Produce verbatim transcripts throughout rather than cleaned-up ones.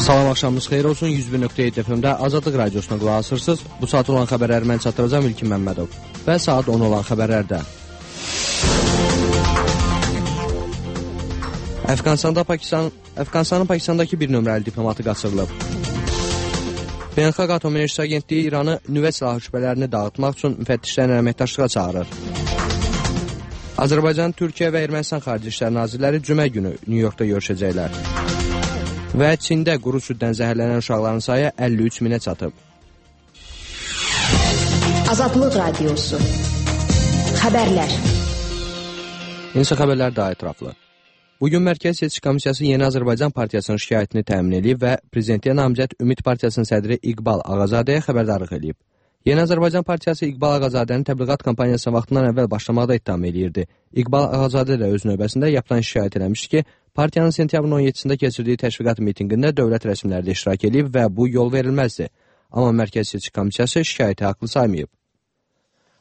Salam, axşamınız xeyir olsun. yüz bir nöqtə yeddi F M-də Azadlıq Radiosuna qulaq asırsınız. Bu saat olan xəbərləri mən çatdıracağım İlkin Məmmədov. Və saat on olan xəbərlərdə. Əfqanistanda Pakistan, Əfqanistanın Pakistandakı bir nömrəli diplomatı qaçırılıb. Beynəlxalq Atom Enerjisi Agentliyi İranı nüvə silahı şübhələrini dağıtmaq üçün müfəttişlərin əməkdaşlığa çağırır. Azərbaycan, Türkiyə və Ermənistan Xarici İşlər Nazirləri cümə günü Nyu-Yorkda görüşəcəklər. Və Çində quru süddən zəhərlənən uşaqların sayı əlli üç minə çatıb. Azadlıq Radiosu. Xəbərlər. İnsə xəbərlər daha ətraflı. Bugün Mərkəzi Seçki Komissiyası Yeni Azərbaycan Partiyasının şikayətini təmin edib və Prezidentliyə namizəd Ümid Partiyasının sədri İqbal Ağazadəyə xəbərdarlıq edib. Yeni Azərbaycan Partiyası İqbal Ağazadənin təbliğat kampaniyasına vaxtından əvvəl başlamaqda ittiham edirdi. İqbal Ağazadə də öz növbəsində yapılan şikayət eləmişdi ki, partiyanın sentyabrın on yeddisində keçirdiyi təşviqat mitinqində dövlət rəsmiləri də iştirak edib və bu yol verilməzdi. Amma Mərkəzi Seçki Komissiyası şikayəti haqlı saymayıb.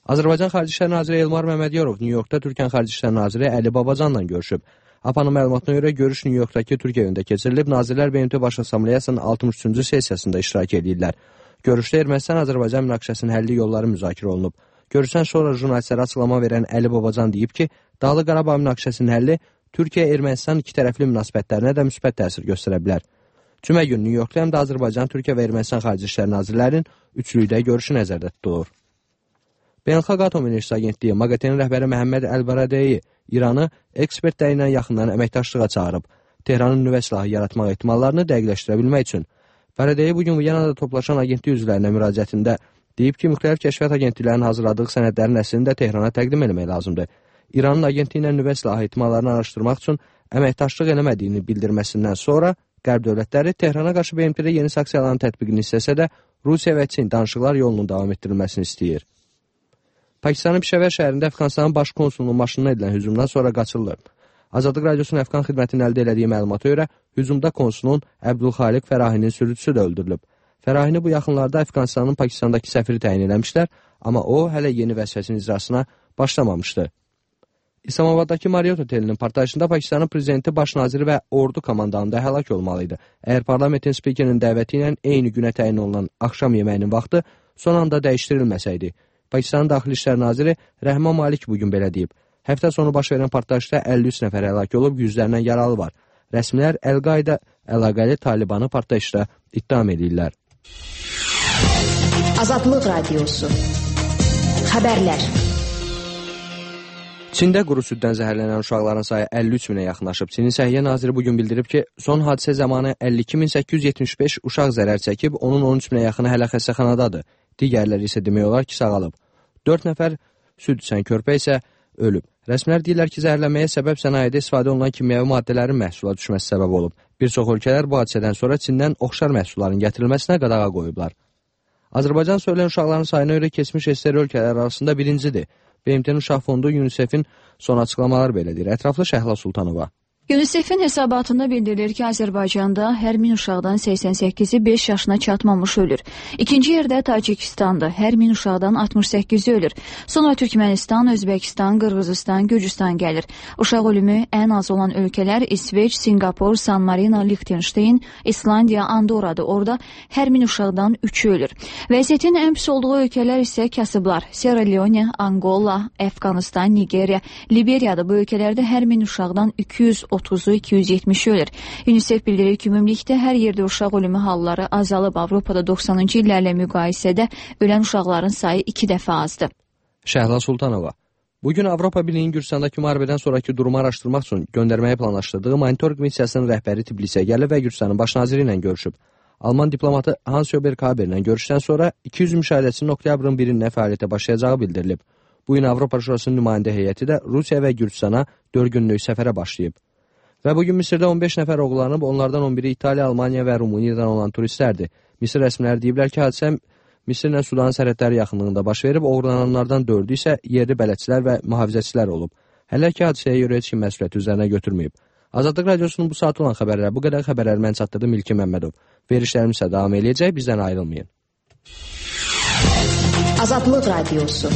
Azərbaycan Xarici İşlər Naziri Elmar Məmmədyorov Nyu-Yorkda Türkiyə Xarici İşlər Naziri Əli Babacanla görüşüb. A P A-nın məlumatına görə görüş Nyu-Yorkdakı Türkiyə evində keçirilib, Nazirlər B M T Baş Assambleyasının altmış üçüncü sessiyasında iştirak edirlər. Görüşdə Ermənistan-Azərbaycan münaqişəsinin həlli yolları müzakirə olunub. Görüşdən sonra jurnalistlərə açıqlama verən Əli Babacan deyib ki, Dağlıq Qarabağ münaqişəsinin həlli Türkiyə-Ermənistan iki tərəfli münasibətlərinə də müsbət təsir göstərə bilər. Cümə günü Nyu-Yorkda həm də Azərbaycan, Türkiyə və Ermənistan Xarici İşlər Nazirlərinin üçlükdə görüşü nəzərdə tutulur. Beynəlxalq Atom Enerjisi Agentliyi MAQATE-nin rəhbəri Məhəmməd Əl-Baradəyi İranı ekspertləri ilə yaxından əməkdaşlığa çağırıb. Tehranın nüvə silahı yaratmaq ehtimallarını dəqiqləşdirə bilmək üçün. Baradəyi bugün Viyanada toplaşan agentlik üzvlərinə müraciətində deyib ki, müxtəlif kəşfiyyat agentliklərinin hazırladığı sənədlərin əslini də Tehrana təqdim etmək lazımdır. İranın agentliyi ilə nüvə silahı ehtimallarını araşdırmaq üçün əməkdaşlıq eləmədiyini bildirməsindən sonra Qərb dövlətləri Tehrana qarşı B M T-də yeni sanksiyaların tətbiqini istəsə də Rusiya və Çin danışıqlar yolunun davam etdirilməsini istəyir. Pakistanın Pişəvər şəhərində Əfqanistanın baş konsulunun maşınına edilən hücumdan sonra qaçırılır. Azadlıq Radiosunun Əfqan xidmətinin əldə elədiyi məlumata görə hücumda konsulun Əbdülxaliq Fərahinin sürücüsü də öldürülüb. Fərahini bu yaxınlarda Əfqanistanın Pakistandakı səfiri təyin eləmişlər, amma o hələ yeni vəzifəsinin icrasına başlamamışdı. İslamabaddakı Marriott otelinin partlayışında Pakistanın prezidenti, baş naziri və ordu komandanında həlak olmalıydı. Əgər parlamentin spikerinin dəvəti ilə eyni günə təyin olunan axşam yeməyinin vaxtı son anda dəyişdirilməsəydi. Pakistanın Daxili İşlər Naziri Rəhman Malik bugün belə deyib. Həftə sonu baş verən partlayışda əlli üç nəfər həlak olub, yüzlərindən yaralı var. Rəsmilər Əl-Qayda əlaqəli Talibanı partlayışda ittiham edirlər. Azadlıq Radiosu. Xəbərlər. Çində quru süddən zəhərlənən uşaqların sayı əlli üç minə yaxınlaşıb. Çinin Səhiyyə Naziri bugün bildirib ki, son hadisə zamanı əlli iki min səkkiz yüz yetmiş beş uşaq zərər çəkib, onun on üç minə yaxını hələ xəstəxanadadır. Digərləri isə demək olar ki, sağalıb. dörd nəfər süd içən körpə isə ölüb. Rəsmilər deyirlər ki, zəhərlənməyə səbəb sənayedə istifadə olunan kimyəvi maddələrin məhsula düşməsi səbəb olub. Bir çox ölkələr bu hadisədən sonra Çindən oxşar məhsulların gətirilməsinə qadağa qoyublar. Azərbaycan söylən uşaqların sayına görə keçmiş S S R ölkələri arasında birincidir. B M T-nin Uşaq Fondu UNICEF-in son açıqlamalar belədir. Ətraflı Şəhla Sultanova. UNICEF-in hesabatında bildirilir ki, Azərbaycanda hər min uşaqdan səksən səkkizi beş yaşına çatmamış ölür. İkinci yerdə Tacikistandır. Hər min uşaqdan altmış səkkizi ölür. Sonra Türkmənistan, Özbəkistan, Qırğızistan, Gürcüstan gəlir. Uşaq ölümü ən az olan ölkələr İsveç, Singapur, San Marino, Liechtenstein, İslandiya, Andorradır. Orada hər min uşaqdan üçü ölür. Vəziyyətin ən pis olduğu ölkələr isə kasıblar. Sierra Leone, Angola, Əfqanistan, Nigeriya, Liberiyadır. Bu ölkələrdə hər min uşaqdan iki yüz otuzu iki yüz yetmişi ölür. UNICEF bildirir ki, ümumilikdə hər yerdə uşaq ölümü halları azalıb. Avropada doxsanıncı illərlə müqayisədə ölən uşaqların sayı iki dəfə azdır. Şəhla Sultanova. Bugün Avropa Birliyinin Gürcüstandakı müharibədən sonraki durumu araşdırmaq üçün göndərməyə planlaşdırdığı monitorinq missiyasının rəhbəri Tbilisə gəlib və Gürcüstanın baş naziri ilə görüşüb. Alman diplomatı Hans-Jörg Haber ilə görüşdən sonra iki yüz müşahidəçinin oktyabrın birində fəaliyyətə başlayacağı bildirilib. Bu gün Avropa Şurasının nümayəndə heyəti də Rusiya və Gürcüstana dörd günlük səfərə başlayıb. Və bugün Misirdə on beş nəfər oğurlanıb, onlardan on biri İtaliya, Almaniya və Rumıniyadan olan turistlərdir. Misir rəsmiləri deyiblər ki, hadisə Misirlə Sudanın sərhədləri yaxınlığında baş verib, oğurlananlardan dördü isə yerli bələdçilər və mühafizəçilər olub. Hələ ki, hadisəyə görə heç kim məsuliyyət üzərinə götürməyib. Azadlıq Radiosunun bu saat olan xəbərlər, bu qədər xəbərləri mən çatdırdım İlkin Məmmədov. Verişlərimiz isə davam eləyəcək, bizdən ayrılmayın. Azadlıq Radiosu.